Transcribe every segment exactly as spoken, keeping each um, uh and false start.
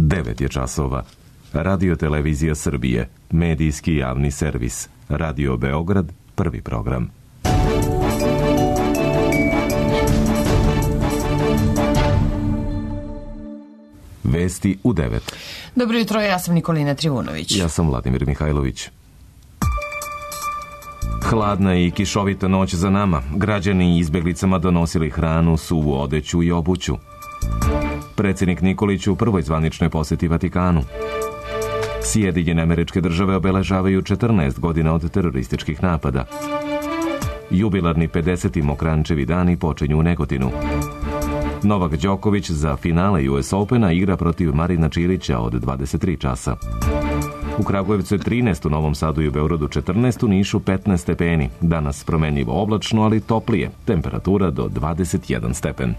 devet je časova. Radio Televizija Srbije, medijski javni servis. Radio Beograd, prvi program. Vesti u devet. Dobro jutro, ja sam Nikolina Trivunović. Ja sam Vladimir Mihajlović. Hladna i kišovita noć za nama. Građani izbeglicama donosili hranu, suvu odeću i obuću. Predsjednik Nikolić u prvoj zvaničnoj posjeti Vatikanu. Sjedinjene Američke Države obeležavaju četrnaest godina od terorističkih napada. Jubilarni pedeseti Mokrančevi dani počinju u Negotinu. Novak Đoković za finale U S Opena igra protiv Marina Čilića od dvadeset tri časa. U Kragujevcu je trinaest, u Novom Sadu i u Beogradu četrnaest, u Nišu petnaest stepeni. Danas promenljivo oblačno, ali toplije. Temperatura do dvadeset jedan stepen.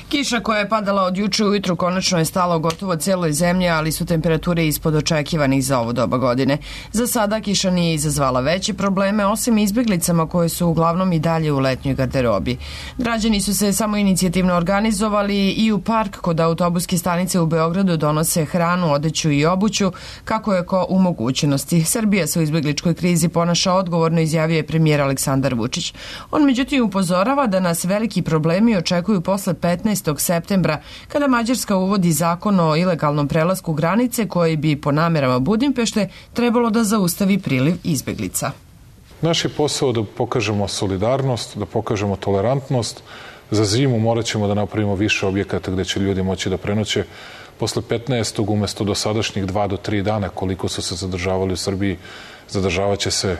Kiša koja je padala od juče ujutru konačno je stala u gotovo cijeloj zemlji, ali su temperature ispod očekivanih za ovo doba godine. Za sada kiša nije izazvala veće probleme, osim izbjeglicama koje su uglavnom i dalje u letnjoj garderobi. Građani su se samo inicijativno organizovali i u park kod autobuske stanice u Beogradu donose hranu, odeću i obuću, kako je ko u mogućnosti. Srbija se u izbjegličkoj krizi ponaša odgovorno, izjavio je premijer Aleksandar Vučić. On međutim upozorava da nas veliki problemi očekuju posle petnaestog septembra, kada Mađarska uvodi zakon o ilegalnom prelasku granice koji bi po namerama Budimpešte trebalo da zaustavi priliv izbeglica. Naš je posao da pokažemo solidarnost, da pokažemo tolerantnost. Za zimu morat ćemo da napravimo više objekata gde će ljudi moći da prenoće. Posle petnaestog umjesto dosadašnjih dva do tri dana koliko su se zadržavali u Srbiji, zadržavat će se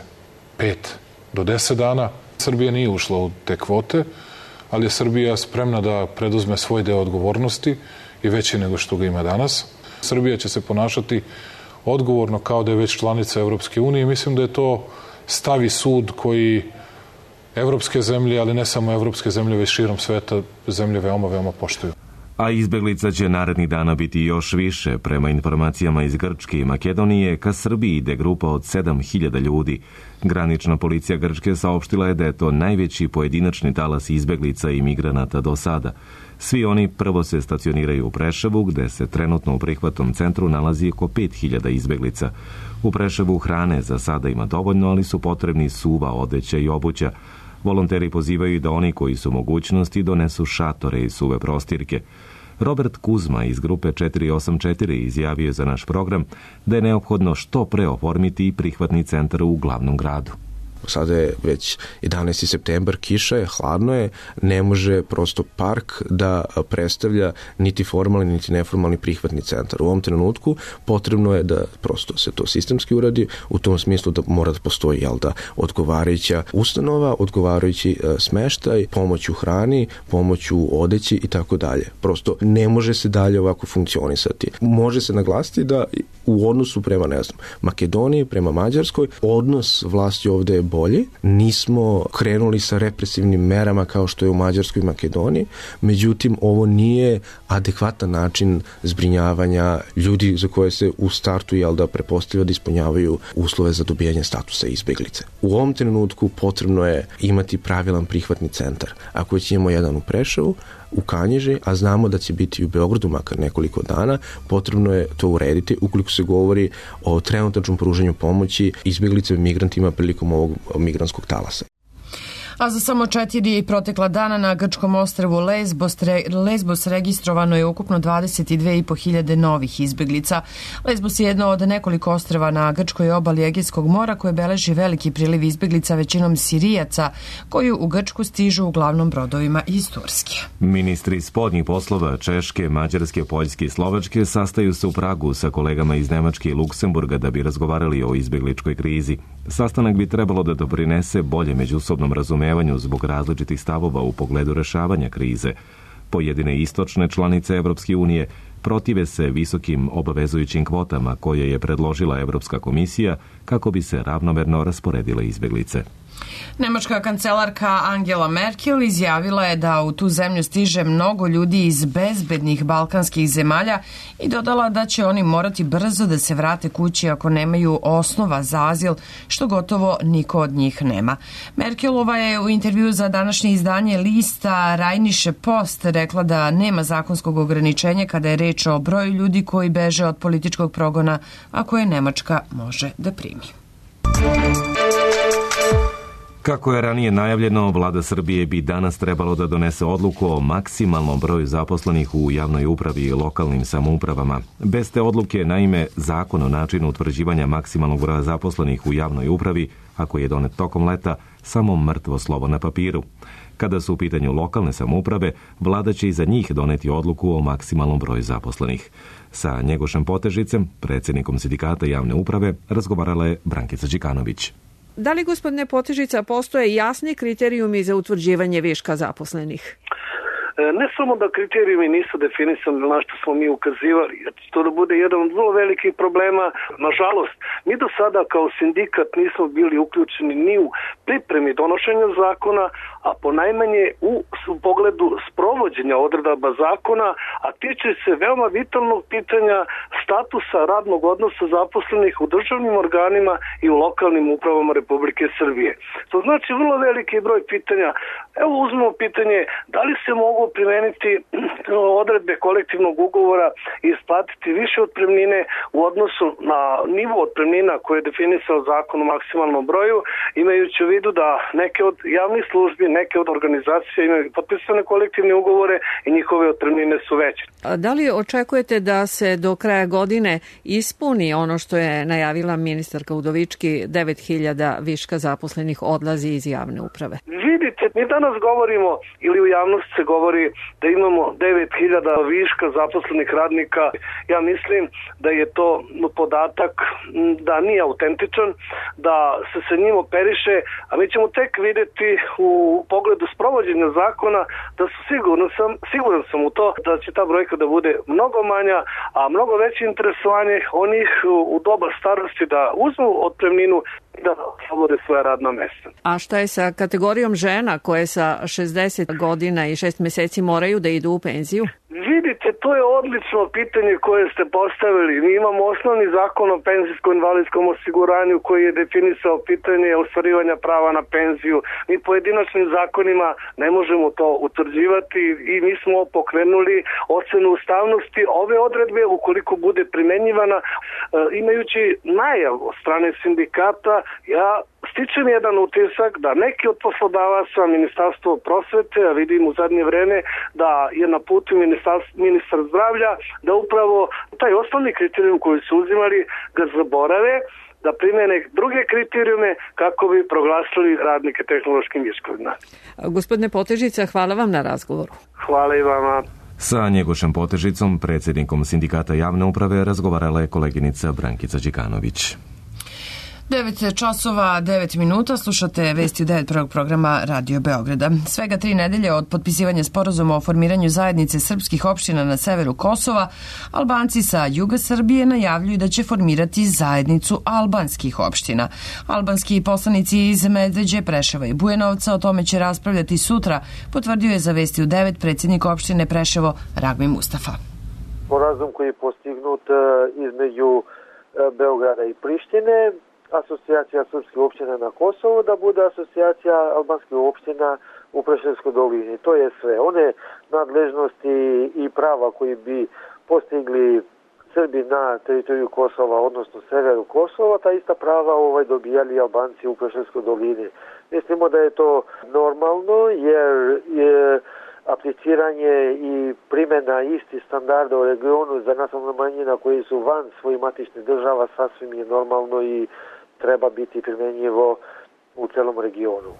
pet do deset dana. Srbija nije ušla u te kvote, ali je Srbija spremna da preduzme svoj deo odgovornosti i veći nego što ga ima danas. Srbija će se ponašati odgovorno kao da je već članica Evropske unije i mislim da je to stav i sud koji evropske zemlje, ali ne samo evropske zemlje, već širom sveta zemlje veoma, veoma poštuju. A izbeglica će narednih dana biti još više. Prema informacijama iz Grčke i Makedonije, ka Srbiji ide grupa od sedam hiljada ljudi. Granična policija Grčke saopštila je da je to najveći pojedinačni talas izbeglica i migranata do sada. Svi oni prvo se stacioniraju u Preševu, gde se trenutno u prihvatnom centru nalazi oko pet hiljada izbeglica. U Preševu hrane za sada ima dovoljno, ali su potrebni suva odeća i obuća. Volonteri pozivaju da oni koji su u mogućnosti donesu šatore i suve prostirke. Robert Kuzma iz grupe četiri osam četiri izjavio je za naš program da je neophodno što pre oformiti i prihvatni centar u glavnom gradu. Sada je već jedanaesti septembar, kiša je, hladno je, ne može prosto park da predstavlja niti formalni niti neformalni prihvatni centar. U ovom trenutku potrebno je da prosto se to sistemski uradi, u tom smislu da mora da postoji jel da, odgovarajuća ustanova, odgovarajući uh, smeštaj, pomoć u hrani, pomoć u odeći i tako dalje. Prosto ne može se dalje ovako funkcionisati. Može se naglasiti da u odnosu prema, ne znam, Makedoniji, prema Mađarskoj, odnos vlasti ovde je bolje. Nismo krenuli sa represivnim merama kao što je u Mađarskoj i Makedoniji, međutim ovo nije adekvatan način zbrinjavanja ljudi za koje se u startu jel da prepostavlja da ispunjavaju uslove za dobijanje statusa izbeglice. U ovom trenutku potrebno je imati pravilan prihvatni centar. Ako već imamo jedan u Preševu, u Kanjiži, a znamo da će biti u Beogradu makar nekoliko dana, potrebno je to urediti ukoliko se govori o trenutačnom pružanju pomoći izbjeglicama i migrantima prilikom ovog migrantskog talasa. A za samo četiri protekla dana na grčkom ostrvu Lesbos, Lesbos registrovano je ukupno dvadeset dve i po hiljade novih izbeglica. Lesbos je jedno od nekoliko ostrva na grčkoj obali Egejskog mora koje beleži veliki priliv izbeglica, većinom Sirijaca, koji u Grčku stižu uglavnom brodovima iz Turske. Ministri spoljnih poslova Češke, Mađarske, Poljske i Slovačke sastaju se u Pragu sa kolegama iz Nemačke i Luksemburga da bi razgovarali o izbegličkoj krizi. Sastanak bi trebalo da doprinese bolje međusobnom razumevanju zbog različitih stavova u pogledu rešavanja krize. Pojedine istočne članice Evropske unije protive se visokim obavezujućim kvotama koje je predložila Evropska komisija kako bi se ravnomerno rasporedile izbeglice. Nemačka kancelarka Angela Merkel izjavila je da u tu zemlju stiže mnogo ljudi iz bezbednih balkanskih zemalja i dodala da će oni morati brzo da se vrate kući ako nemaju osnova za azil, što gotovo niko od njih nema. Merkelova je u intervju za današnje izdanje lista Rheinische Post rekla da nema zakonskog ograničenja kada je reč o broju ljudi koji beže od političkog progona, a koje Nemačka može da primi. Kako je ranije najavljeno, vlada Srbije bi danas trebalo da donese odluku o maksimalnom broju zaposlenih u javnoj upravi i lokalnim samoupravama. Bez te odluke, naime, zakon o načinu utvrđivanja maksimalnog broja zaposlenih u javnoj upravi, ako je donet tokom leta, samo mrtvo slovo na papiru. Kada su u pitanju lokalne samouprave, vlada će i za njih doneti odluku o maksimalnom broju zaposlenih. Sa Njegošem Potežicem, predsjednikom sindikata javne uprave, razgovarala je Brankica Đikanović. Da li, gospodine Potežica, postoje jasni kriterijumi za utvrđivanje viška zaposlenih? Ne samo da kriterijumi nisu definisani na što smo mi ukazivali, to da bude jedan od vrlo velikih problema. Nažalost, mi do sada kao sindikat nismo bili uključeni ni u pripremi donošenja zakona, a ponajmanje u, u pogledu sprovođenja odredaba zakona, a tiče se veoma vitalnog pitanja statusa radnog odnosa zaposlenih u državnim organima i u lokalnim upravama Republike Srbije. To znači vrlo veliki broj pitanja. Evo uzmemo pitanje da li se mogu primeniti odredbe kolektivnog ugovora i isplatiti više otpremnine u odnosu na nivo otpremnina koje je definisao zakon o maksimalnom broju, imajući u vidu da neke od javnih službi, neke od organizacija imaju potpisane kolektivne ugovore i njihove otpremnine su veće. A da li očekujete da se do kraja godine ispuni ono što je najavila ministarka Udovički, devet hiljada viška zaposlenih odlazi iz javne uprave? Vidite, mi danas govorimo, ili u javnosti se govori da imamo devet hiljada viška zaposlenih radnika. Ja mislim da je to podatak da nije autentičan, da se sa njim operiše, a mi ćemo tek vidjeti u pogledu sprovođenja zakona da su sigurno sam, siguran sam u to da će ta brojka da bude mnogo manja, a mnogo veće interesovanje onih u doba starosti da uzmu otpremninu i da oslobode svoja radna mesta. A šta je sa kategorijom žena koje sa šezdeset godina i šest meseci moraju da idu u penziju? Vidite, to je odlično pitanje koje ste postavili. Mi imamo osnovni zakon o penzijsko-invalidskom osiguranju koji je definisao pitanje ostvarivanja prava na penziju. Mi pojedinačnim zakonima ne možemo to utvrđivati i mi smo pokrenuli ocenu ustavnosti ove odredbe ukoliko bude primenjivana. E, imajući najav od strane sindikata, ja stičem jedan utisak da neki od poslodavaca, Ministarstvo prosvete, a vidim u zadnje vreme da je na putu ministar zdravlja, da upravo taj osnovni kriterijum koji su uzimali ga zaborave, da primene druge kriterijume kako bi proglasili radnike tehnološkim viškovima. Gospodine Potežica, hvala vam na razgovoru. Hvala i vama. Sa Njegošem Potežicom, predsjednikom sindikata javne uprave, razgovarala je koleginica Brankica Đikanović. devet časova, devet minuta, slušate vesti u devet prvog programa Radio Beograda. Svega tri nedelje od potpisivanja sporazuma o formiranju zajednice srpskih opština na severu Kosova, Albanci sa juga Srbije najavljuju da će formirati zajednicu albanskih opština. Albanski poslanici iz Medveđe, Preševa i Bujanovca o tome će raspravljati sutra, potvrdio je za vesti u devet predsjednik opštine Preševo Ragmi Mustafa. Sporazum koji je postignut između Beograda i Prištine, asocijacija srpskih opština na Kosovo, da bude asocijacija albanskih opština u Preševskoj dolini. To je sve. One nadležnosti i prava koji bi postigli Srbi na teritoriju Kosova, odnosno severu Kosova, ta ista prava ovaj dobijali Albanci u Preševskoj dolini. Mislimo da je to normalno, jer je apliciranje i primjena istih standarda u regionu za nacionalne manjine koji su van svojih matičnih država sasvim je normalno i treba biti primjenjivo u celom regionu.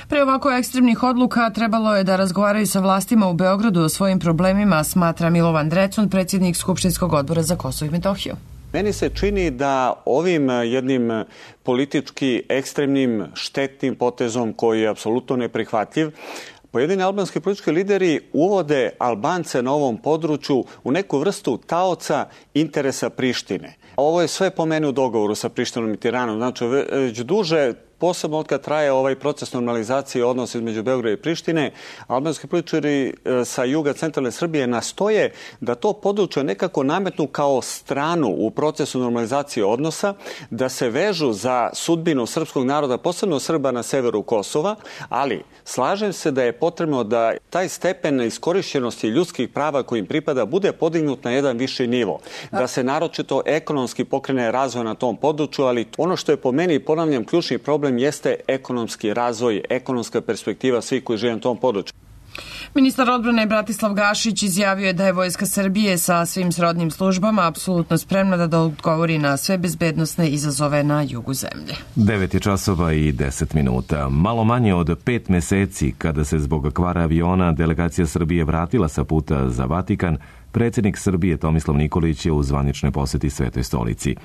Pre ovako ekstremnih odluka trebalo je da razgovaraju sa vlastima u Beogradu o svojim problemima, smatra Milovan Drecun, predsjednik Skupštinskog odbora za Kosovo i Metohiju. Meni se čini da ovim jednim politički ekstremnim štetnim potezom koji je apsolutno neprihvatljiv, pojedini albanski politički lideri uvode Albance na ovom području u neku vrstu taoca interesa Prištine. Ovo je sve po meni u dogovoru sa Prištinom i Tiranom. Znači, već duže posebno od kad traje ovaj proces normalizacije odnosa između Beograda i Prištine, albanski političari sa juga centralne Srbije nastoje da to područje nekako nametnu kao stranu u procesu normalizacije odnosa, da se vežu za sudbinu srpskog naroda, posebno Srba na severu Kosova, ali slažem se da je potrebno da taj stepen iskorišćenosti ljudskih prava kojim pripada bude podignut na jedan viši nivo. Da se naročito ekonomski pokrene razvoj na tom području, ali ono što je po meni, ponavljam, ključni problem jeste ekonomski razvoj, ekonomska perspektiva svih koji žive na tom području. Ministar odbrane Bratislav Gašić izjavio je da je Vojska Srbije sa svim srodnim službama apsolutno spremna da odgovori na sve bezbednosne izazove na jugu zemlje. devet je časova i deset minuta. Malo manje od pet meseci kada se zbog kvara aviona delegacija Srbije vratila sa puta za Vatikan, predsjednik Srbije Tomislav Nikolić je u zvaničnoj poseti Svetoj stolici.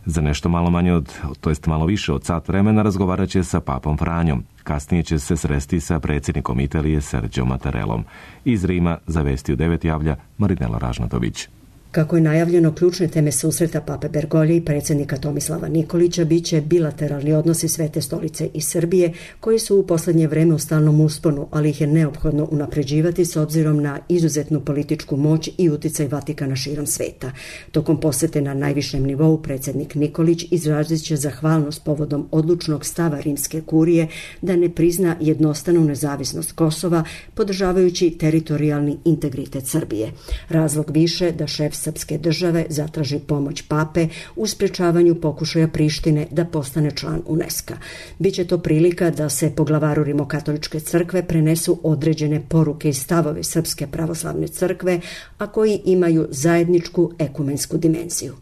Za nešto malo manje od, to jest malo više od sat vremena razgovarat će sa papom Franjom. Kasnije će se sresti sa predsjednikom Italije Serđom Mattarellom. Iz Rima za Vesti u devet javlja Marinela Ražnatović. Kako je najavljeno, ključne teme susreta pape Bergolje i predsjednika Tomislava Nikolića biće bilateralni odnosi Svete stolice i Srbije, koji su u posljednje vreme u stalnom usponu, ali ih je neophodno unapređivati s obzirom na izuzetnu političku moć i uticaj Vatikana širom sveta. Tokom posete na najvišem nivou predsjednik Nikolić izrazit će zahvalnost povodom odlučnog stava rimske kurije da ne prizna jednostranu nezavisnost Kosova, podržavajući teritorijalni integritet Srbije. Razlog više da šef srpske države zatraži pomoć pape u sprečavanju pokušaja Prištine da postane član UNESCO. Biće to prilika da se poglavaru Rimokatoličke crkve prenesu određene poruke i stavove Srpske pravoslavne crkve, a koji imaju zajedničku ekumensku dimenziju.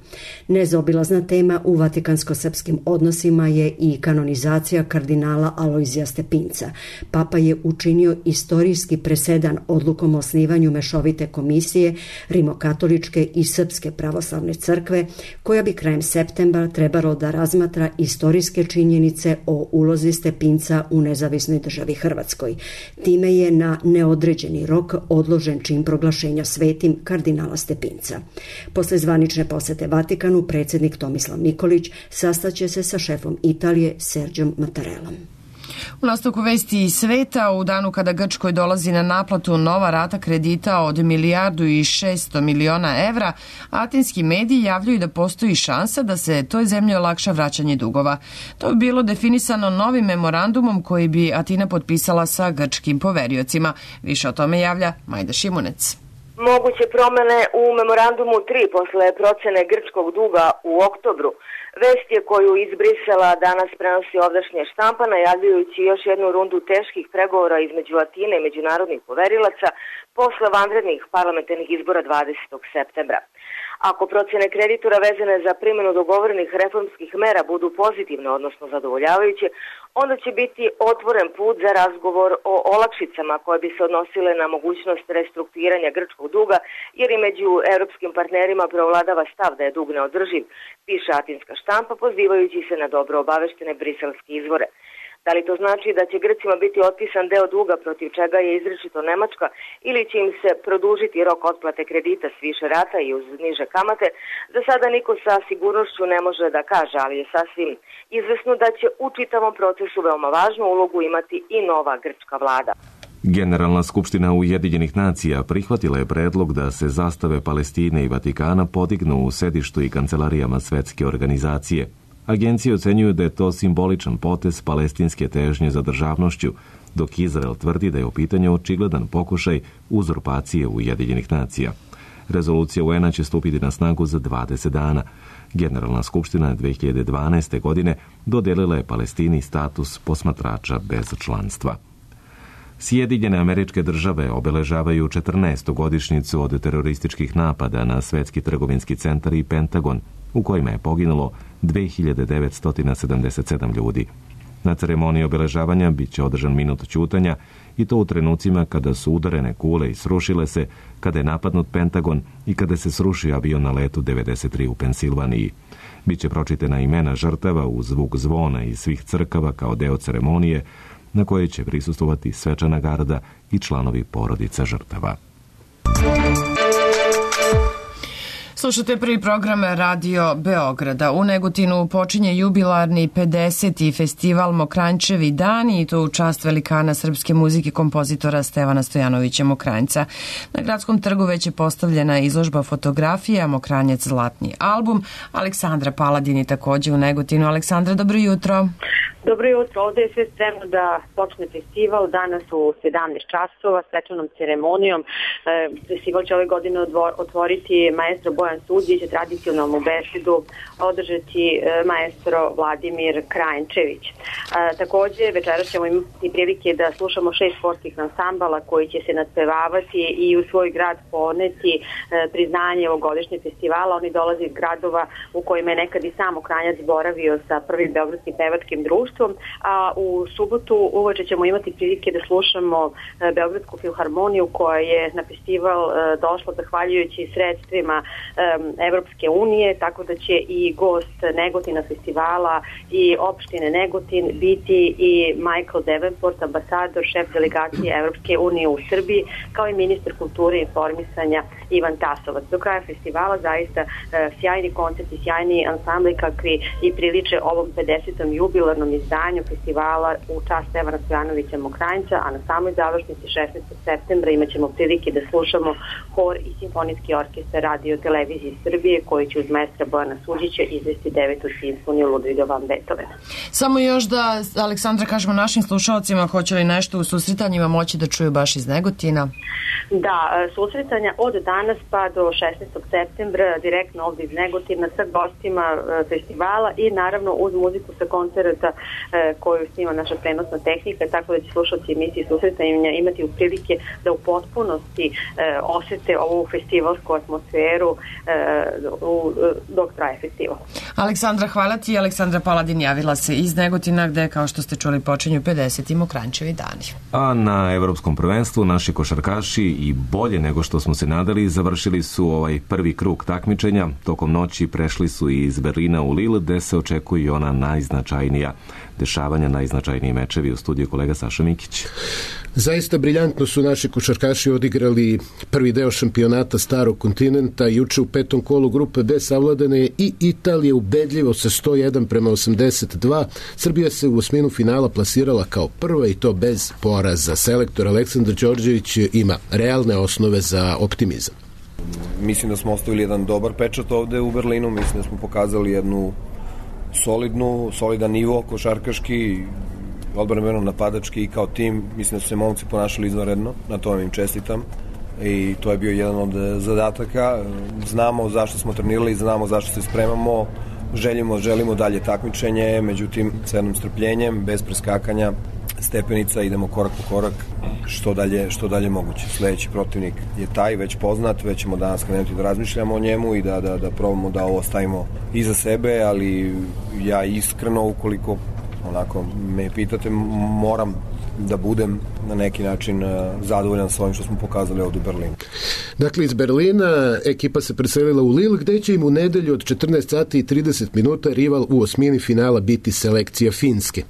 Nezaobilazna tema u vatikansko-srpskim odnosima je i kanonizacija kardinala Alojzija Stepinca. Papa je učinio istorijski presedan odlukom o osnivanju mešovite komisije Rimokatoličke i Srpske pravoslavne crkve, koja bi krajem septembra trebalo da razmatra istorijske činjenice o ulozi Stepinca u nezavisnoj državi Hrvatskoj. Time je na neodređeni rok odložen čin proglašenja svetim kardinala Stepinca. Posle zvanične posete Vatikanu, predsjednik Tomislav Nikolić sastaće se sa šefom Italije Serđom Mattarellom. U nastavku Vesti iz sveta, u danu kada Grčkoj dolazi na naplatu nova rata kredita od milijardu i šesto miliona evra, atinski mediji javljaju da postoji šansa da se toj zemlji olakša vraćanje dugova. To bi bilo definisano novim memorandumom koji bi Atina potpisala sa grčkim poveriocima. Više o tome javlja Majda Šimunec. Moguće promene u memorandumu tri posle procene grčkog duga u oktobru. Vest je koju iz Brisela danas prenosi ovdašnja štampa, najavljujući još jednu rundu teških pregovora između Atine i međunarodnih poverilaca posle vanrednih parlamentarnih izbora dvadesetog septembra. Ako procene kreditora vezane za primjenu dogovorenih reformskih mera budu pozitivne, odnosno zadovoljavajuće, onda će biti otvoren put za razgovor o olakšicama koje bi se odnosile na mogućnost restrukturiranja grčkog duga, jer i među europskim partnerima preovladava stav da je dug neodrživ, piše atinska štampa, pozivajući se na dobro obaveštene briselske izvore. Da li to znači da će Grcima biti otpisan deo duga protiv čega je izričito Nemačka, ili će im se produžiti rok otplate kredita s više rata i uz niže kamate, za sada niko sa sigurnošću ne može da kaže, ali je sasvim izvesno da će u čitavom procesu veoma važnu ulogu imati i nova grčka vlada. Generalna skupština Ujedinjenih nacija prihvatila je predlog da se zastave Palestine i Vatikana podignu u sedištu i kancelarijama svetske organizacije. Agencije ocenjuju da je to simboličan potez palestinske težnje za državnošću, dok Izrael tvrdi da je u pitanju očigledan pokušaj uzurpacije Ujedinjenih nacija. Rezolucija U N-a će stupiti na snagu za dvadeset dana. Generalna skupština dve hiljade dvanaeste. godine dodelila je Palestini status posmatrača bez članstva. Sjedinjene Američke Države obeležavaju četrnaestu godišnjicu od terorističkih napada na Svetski trgovinski centar i Pentagon, u kojima je poginulo dve hiljade devetsto sedamdeset sedam ljudi. Na ceremoniji obeležavanja bit će održan minut ćutanja, i to u trenucima kada su udarene kule i srušile se, kada je napadnut Pentagon i kada se srušio avion na letu devedeset tri u Pensilvaniji. Biće pročitana imena žrtava uz zvuk zvona iz svih crkava kao deo ceremonije, na kojoj će prisustvovati svečana garda i članovi porodica žrtava. Slušate prvi program Radio Beograda. U Negotinu počinje jubilarni pedeseti festival Mokranjčevi dani i to u čast velikana srpske muzike kompozitora Stevana Stojanovića Mokranjca. Na Gradskom trgu već je postavljena izložba fotografija Mokranjac zlatni album. Aleksandra Paladin je takođe u Negotinu. Aleksandra, dobro jutro. Dobro jutro, ovde je sve spremno da počne festival, danas u sedamnaest časova, svečanom ceremonijom. E, festival će ove godine otvoriti maestro Bojan Suđić, tradicionalnu besedu održati e, maestro Vladimir Krajnčević. E, takođe, večeras ćemo imati prilike da slušamo šest sportskih ansambala koji će se nadpevavati i u svoj grad poneti e, priznanje ovogodišnjeg festivala. Oni dolaze iz gradova u kojima je nekad i sam Mokranjac boravio sa prvim beogradskim pevačkim društvom, a u subotu uveče ćemo imati prilike da slušamo Beogradsku filharmoniju koja je na festival došla zahvaljujući sredstvima Evropske unije, tako da će i gost Negotina festivala i opštine Negotin biti i Michael Davenport, ambasador, šef delegacije Evropske unije u Srbiji, kao i ministar kulture i informisanja Ivan Tasovac. Do kraja festivala zaista sjajni koncerti, sjajni ansambli kakvi i priliče ovom pedesetom jubilarnom izdanju festivala u čast Stevana Stojanovića Mokranjca, a na samoj završnici šesnaestog septembra imat ćemo prilike da slušamo hor i simfonijski orkestar Radio televizije Srbije koji će uz maestra Bojana Suđića izvesti devetu simfoniju Ludviga van Beethovena. Samo još da, Aleksandra, kažemo našim slušalcima, hoće li nešto u susretanjima moći da čuju baš iz Negotina? Da, susretanja od danas pa do šesnaestog septembra direktno ovde iz Negotina sa gostima festivala i naravno uz muziku sa koncerta koju snima naša prenosna tehnika, tako da će slušalci emisije susretanja imati u prilike da u potpunosti osete ovu festivalsku atmosferu dok traje festival. Aleksandra, hvala ti. Aleksandra Paladin javila se iz Negotina gde, kao što ste čuli, počinju pedeseti Mokranjčevi dani. A na Evropskom prvenstvu naši košarkaši i bolje nego što smo se nadali završili su ovaj prvi krug takmičenja. Tokom noći prešli su iz Berlina u Lille gde se očekuje ona najznačajnija dešavanja, najznačajniji mečevi. U studiju kolega Saša Mikić. Zaista briljantno su naši košarkaši odigrali prvi deo šampionata Starog kontinenta. Juče u petom kolu grupe B savladane je i Italija ubedljivo sa sto jedan prema osamdeset dva. Srbija se u osminu finala plasirala kao prva i to bez poraza. Selektor Aleksandar Đorđević ima realne osnove za optimizam. Mislim da smo ostavili jedan dobar pečat ovde u Berlinu. Mislim da smo pokazali jednu solidnu, solidan nivo košarkaški, odbrambeno napadački i kao tim. Mislim da su se momci ponašali izvanredno, na to im čestitam i to je bio jedan od zadataka. Znamo zašto smo trenirali, znamo zašto se spremamo, želimo, želimo dalje takmičenje, međutim sa jednom strpljenjem, bez preskakanja stepenica, idemo korak po korak što dalje, što dalje moguće. Sledeći protivnik je taj, već poznat, već ćemo danas krenuti da razmišljamo o njemu i da, da, da probamo da ovo stavimo iza sebe, ali ja iskreno, ukoliko onako me pitate, moram da budem na neki način zadovoljan s ovim što smo pokazali ovdje u Berlinu. Dakle, iz Berlina ekipa se preselila u Lille, gde će im u nedelju od četrnaest sati i trideset minuta rival u osmini finala biti selekcija Finske.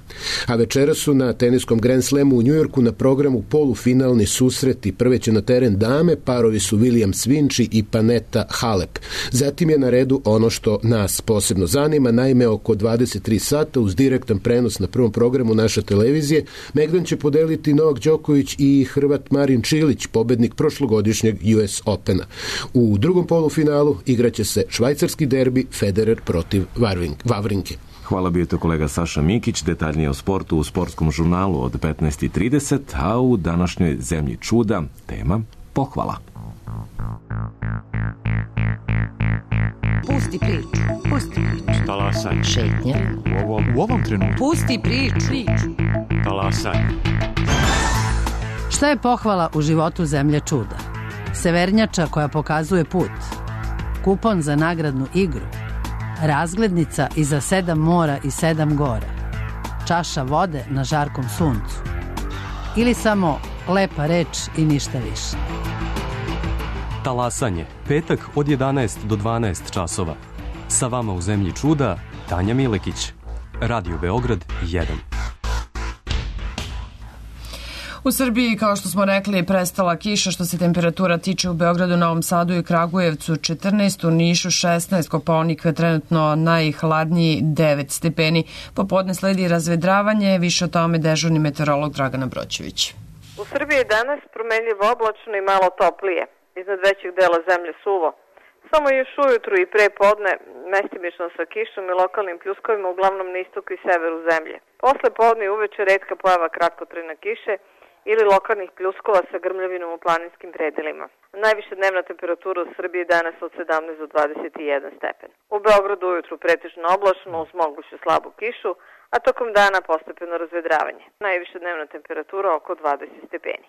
A večera su na teniskom Grand Slamu u Njujorku na programu polufinalni susreti. Prve će na teren dame, parovi su William Svinči i Panetta Halep. Zatim je na redu ono što nas posebno zanima, naime oko dvadeset tri sata uz direktan prenos na prvom programu naše televizije Megdan će podeliti Novak Đoković i Hrvat Marin Čilić, pobednik prošlogodišnjeg U S Opena. U drugom polufinalu igraće se švajcarski derbi Federer protiv Vavrinke. Hvala, bio to kolega Saša Mikić. Detaljnije o sportu u sportskom žurnalu od petnaest i trideset, a u današnjoj Zemlji čuda tema pohvala. Pusti priču, pusti priču. Talasaj. Šetnja. U ovom, u ovom trenutku. Pusti priču. priču. Talasaj. Šta je pohvala u životu Zemlje čuda? Severnjača koja pokazuje put. Kupon za nagradnu igru. Razglednica iza sedam mora i sedam gora. Čaša vode na žarkom suncu. Ili samo lepa reč i ništa više. Talasanje, petak od jedanaest do dvanaest časova. Sa vama u Zemlji čuda, Tanja Milekić. Radio Beograd jedan. U Srbiji, kao što smo rekli, je prestala kiša što se temperatura tiče u Beogradu, Novom Sadu i Kragujevcu četrnaest, u Nišu šesnaest, Kopaonik je trenutno najhladniji devet stepeni. Popodne sledi razvedravanje, više o tome dežurni meteorolog Dragana Broćević. U Srbiji je danas promenljivo oblačno i malo toplije. Iznad većeg dela zemlje suvo. Samo još ujutru i pre podne, mestimično sa kišom i lokalnim pljuskovima, uglavnom na istoku i severu zemlje. Posle podne i uveče retka pojava kratkotrajne kiše ili lokalnih pljuskova sa grmljavinom u planinskim predelima. Najviša dnevna temperatura u Srbiji danas od sedamnaest do dvadeset jedan stepen. U Beogradu ujutru pretežno oblačno uz moguću slabu kišu, a tokom dana postepeno razvedravanje. Najviša dnevna temperatura oko dvadeset stepeni.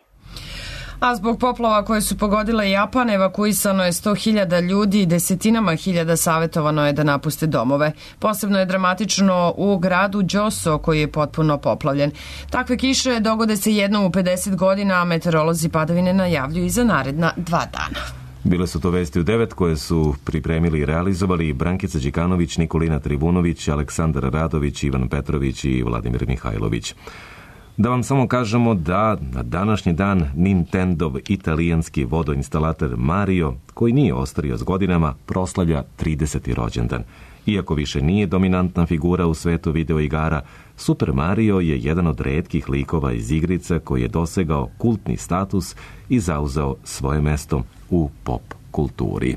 A zbog poplava koje su pogodile Japan, evakuisano je sto hiljada ljudi i desetinama hiljada savjetovano je da napuste domove. Posebno je dramatično u gradu Djoso, koji je potpuno poplavljen. Takve kiše dogode se jednom u pedeset godina, a meteorolozi padavine najavljuju i za naredna dva dana. Bile su to vesti u devet koje su pripremili i realizovali Brankica Đikanović, Nikolina Tribunović, Aleksandar Radović, Ivan Petrović i Vladimir Mihajlović. Da vam samo kažemo da na današnji dan Nintendov italijanski vodoinstalater Mario, koji nije ostario s godinama, proslavlja trideseti rođendan. Iako više nije dominantna figura u svetu videoigara, Super Mario je jedan od retkih likova iz igrica koji je dosegao kultni status i zauzeo svoje mesto u pop kulturi.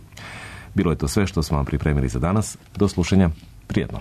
Bilo je to sve što smo vam pripremili za danas. Do slušanja. Prijetno.